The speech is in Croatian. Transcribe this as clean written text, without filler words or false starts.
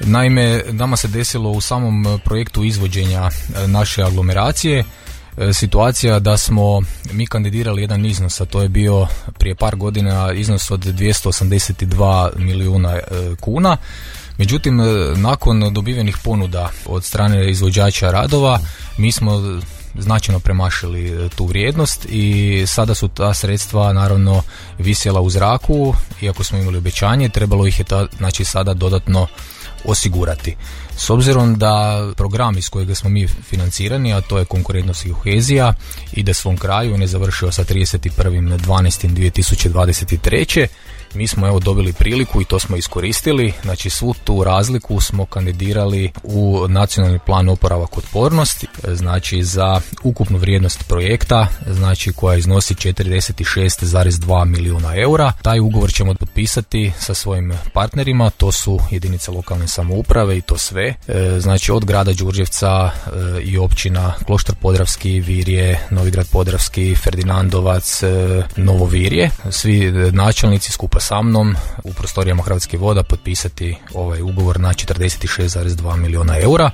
Naime, nama se desilo u samom projektu izvođenja naše aglomeracije situacija da smo mi kandidirali jedan iznos, a to je bio prije par godina iznos od 282 milijuna kuna. Međutim, nakon dobivenih ponuda od strane izvođača radova, mi smo značajno premašili tu vrijednost i sada su ta sredstva naravno visjela u zraku, iako smo imali obećanje, trebalo ih je sada dodatno osigurati. S obzirom da program iz kojeg smo mi financirani, a to je konkurentnost i kohezija, ide svom kraju, on je završio sa 31.12.2023. Mi smo dobili priliku i to smo iskoristili, znači svu tu razliku smo kandidirali u nacionalni plan oporavak otpornosti, znači za ukupnu vrijednost projekta, znači koja iznosi 46,2 milijuna eura. Taj ugovor ćemo potpisati sa svojim partnerima, to su jedinice lokalne samouprave i to sve, znači od grada Đurđevca i općina Kloštar Podravski, Virje, Novigrad Podravski, Ferdinandovac, Novo Virje, svi načelnici skupa sa mnom u prostorijama Hrvatskih voda potpisati ovaj ugovor na 46,2 milijuna eura.